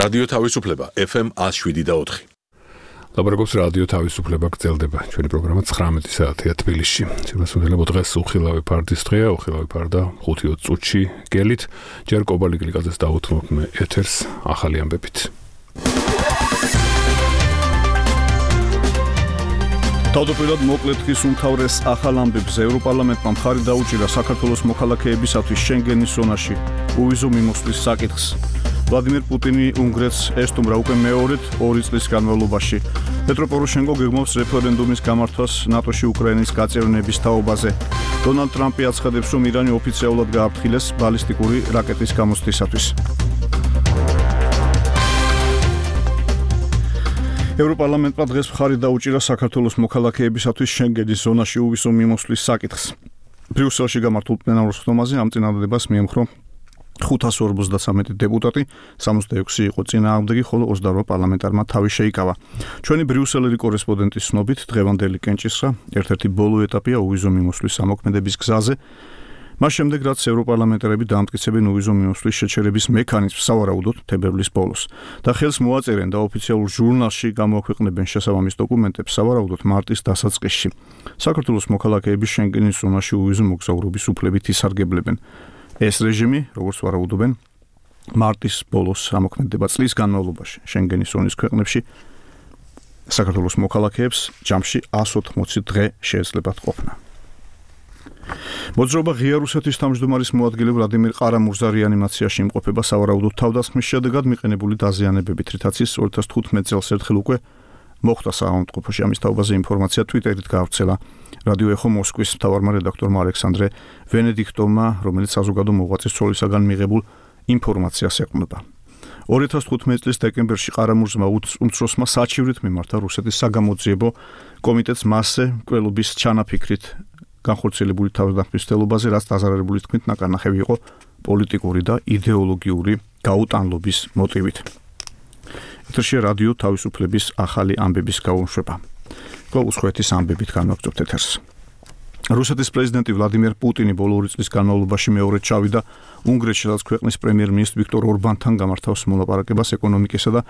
რადიო თავისუფლება FM 107.4. ლაპარაკობს რადიო თავისუფლება გრძელდება. ჩვენი პროგრამა 19 საათია თბილისში. სიმართლე დღეს უხილავი ფარდის დღეა, უხილავი ფარდა 5-20 წუთში გელით. ჯერ კობალი გლიკაძეს დაუთმობ მე ეთერს ახალი ამბებით. თავდაპირველად მოკლედ ის უმთავრეს ახალ ამბებს ევროპარლამენტმა მხარი დაუჭირა საქართველოს მოქალაქეებისათვის შენგენის ზონაში უვიზო მიმოსვლის საკითხს. ვლადიმერ პუტინი უნგრეთს ესტუმრა უკვე მეორედ 2 წლის განმავლობაში. პეტრო პოროშენკო გეგმავს რეფერენდუმის გამართვას ნატოში უკრაინის გაწევრიანების თაობაზე. დონალდ ტრამპი აცხადებს, რომ ირანი ოფიციალურად გააფრთხილეს ბალისტიკური რაკეტის გამოცდისათვის. ევროპარლამენტმა დღეს მხარი დაუჭირა საქართველოს მოქალაქეებისათვის შენგენის ზონაში უვისო მიმოსვლის საკითხს. ბრიუსელში გამართულ პლენარულ სხდომაზე ამ წინადადებას მიემხრო 553 დეპუტატი, 66 იყო წინააღმდეგი, ხოლო 28 პარლამენტარმა თავი შეიკავა. ჩვენი ბრიუსელელი კორესპონდენტის ცნობით, დღევანდელი კენჭისყრა ერთ-ერთი ბოლო ეტაპია უვიზო მიმოსვლის ამოქმედების გზაზე. მას შემდეგ, რაც ევროპარლამენტარები დაამტკიცებენ უვიზო მიმოსვლის შეჩერების მექანიზმს სავარაუდოდ თებერვლის ბოლოს და ხელს მოაწერენ და ოფიციალურ ჟურნალში გამოაქვეყნებენ შესაბამის დოკუმენტებს სავარაუდოდ მარტის დასაწყისში. საქართველოს მოქალაქეების შენგენის ზონაში უვიზო მოგზაურობის უფლებით ისარგებლებენ. ეს რეჟიმი, როგორც ვარაუდობენ, მარტის ბოლოს ამოქმედება წლის განმავლობაში შენგენის ზონის ქვეყნებში საქართველოს მოქალაქეებს ჯამში 180 დღე შეეძლებათ ყოფნა. მოძრაობა ღია რუსეთის თავმჯდომარის მოადგილე ვლადიმერ ყარამურზა რეანიმაციაში იმყოფება სავარაუდოდ თავდასხმის შედეგად მიყენებული დაზიანებებით, რითაც ის 2015 წელს ერთხელ უკვე მოხვდა საავადმყოფოში. ამის თაობაზე ინფორმაცია Twitter-ით გავრცელა რადიო ეხო მოსკვის მთავარმა რედაქტორმა ალექსანდრე ვენედიქტოვმა, რომელიც საზოგადო მოღვაწის ცოლისაგან მიღებულ ინფორმაციას ეყრდნობა. 2015 წლის დეკემბერში ყარამურზმა უმცროსმა საჩივრით მიმართა რუსეთის საგამოძიებო კომიტეტს მასზე მკვლელობის ჩანაფიქრით განხორციელებული თავდასხმის რაც დაზარალებული თქმით ნაკარნახევი იყო პოლიტიკური და იდეოლოგიური გაუტანლობის მოტივით. ეთერში რადიო თავისუფლების ახალი ამბების გაუშვება. გულსხვეთის ამბებით განვაგრძობთ ეთერს. რუსეთის პრეზიდენტი ვლადიმერ პუტინი ბოლო 2 წლის განმავლობაში მეორედ ჩავიდა უნგრეთში, სადაც ქვეყნის პრემიერ-მინისტრ ვიქტორ ორბანთან გამართავს მოლაპარაკებას ეკონომიკისა და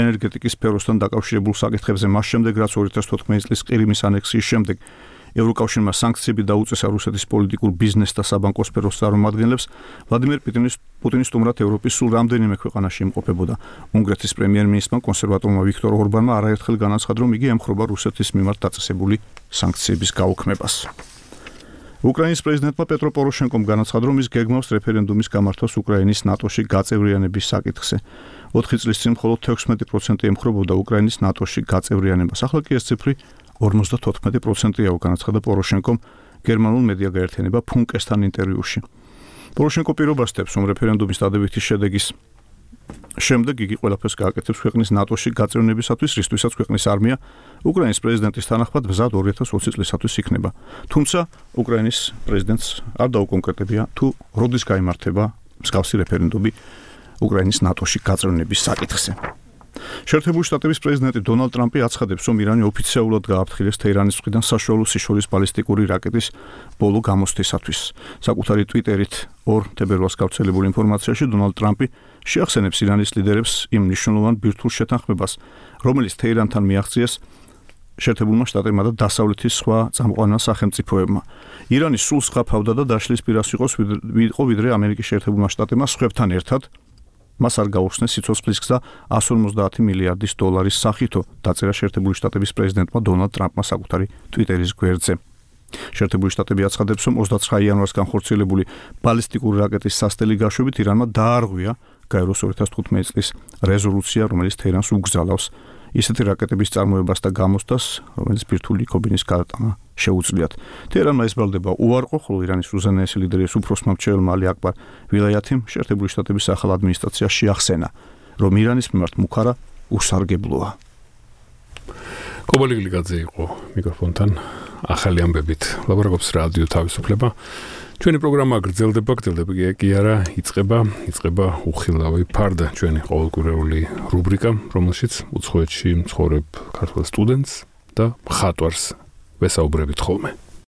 ენერგეტიკის სფეროსთან დაკავშირებულ საკითხებზე, მას შემდეგ, რაც 2014 წლის ყირიმის ანექსიის შემდეგ ევროკავშირმა სანქციები დაუწესა რუსეთის პოლიტიკურ ბიზნეს და საბანკო სფეროს წარმომადგენლებს, ვლადიმერ პუტინის სტუმრად ევროპის სულ რამდენიმე ქვეყანაში იმყოფებოდა. უნგრეთის პრემიერ-მინისტრმა კონსერვატორმა ვიქტორ ორბანმა არაერთხელ განაცხადა, რომ იგი ემხრობა რუსეთის მიმართ დაწესებული სანქციების გაუქმებას. უკრაინის პრეზიდენტმა პეტრო პოროშენკომ განაცხადა, რომ ის გეგმავს რეფერენდუმის გამართვას უკრაინის ნატოში გაწევრიანების საკითხზე. 4 წლის წინ მხოლოდ 16% ემხრობოდა უკრაინის ნატოში გაწევრიანებას. ახლა კი ეს ციფრი 54%-ია, განაცხადა პოროშენკომ გერმანულ მედია გაერთიანება ფუნკესთან ინტერვიუში. პოროშენკო პირობასდებს, რომ რეფერენდუმის დადებითი შედეგის შემდეგ იგი ყველაფერს გააკეთებს ქვეყნის ნატოში გაწევრიანებისათვის, რისთვისაც ქვეყნის არმია უკრაინის პრეზიდენტის თანახმად მზად 2020 წლისათვის იქნება. თუმცა უკრაინის პრეზიდენტს არ დაუკონკრეტებია თუ როდის გაიმართება მსგავსი რეფერენდუმი უკრაინის ნატოში გაწევრიანების საკითხზე. შეერთებული შტატების პრეზიდენტი დონალდ ტრამპი აცხადებს, რომ ირანი ოფიციალურად გააფრთხილეს თეირანის მხრიდან საშუალო სიშორის ბალისტიკური რაკეტის ბოლო გამოცდისათვის. საკუთარი Twitter-ით 2 თებერვალს გავრცელებულ ინფორმაციაში დონალდ ტრამპი შეახსენებს ირანის ლიდერებს იმ მნიშვნელოვან ბირთვულ შეთანხმებას, რომელიც თეირანთან მიაღწიეს შეერთებულმა შტატებმა და დასავლეთის სხვა წამყვანილ სახელმწიფოებმა. ირანი სულ სღაფავდა და დაშლის პირას იყო ვიდრე ამერიკის შეერთებულმა შტატებმა სხვებთან ერთად მას არ გაუხსნეს სიცოცხლის გზა 150 მილიარდის დოლარის სახითო, დაწერა შეერთებული შტატების პრეზიდენტმა დონალდ ტრამპმა საკუთარი Twitter-ის გვერდზე. შეერთებული შტატები აცხადებს, რომ 29 იანვარს განხორციელებული ბალისტიკური რაკეტის სასტელი გაშვებით ირანმა დაარღვია გაეროს 2015 წლის რეზოლუცია, რომელიც თეირანს უგზალავს ისეთი რაკეტების წარმოებას და გამოცდას, რომელიც ბირთვული ქობინის გადატანა შეუძლიათ. თეირანმა ესწრება უარყო, ხოლო ირანის უზენაესი ლიდერის უფროსმა მრჩეველმა ალი აკბარ ვილაიათიმ შეერთებული შტატების ახალ ადმინისტრაციას შეახსენა, რომ ირანის მიმართ მუქარა უსარგებლოა. კობალი გლიკაძე იყო მიკროფონთან ახალი ამბებით. ლაპარაკობს რადიო თავისუფლება. ჩვენი პროგრამა გრძელდება კი არა, იწყება უხილავი ფარდა, ჩვენი ყოველკვირეული რუბრიკა, რომელშიც უცხოეთში მცხოვრებ ქართველ სტუდენტს და მხატვარს ვესაუბრებით ხოლმე.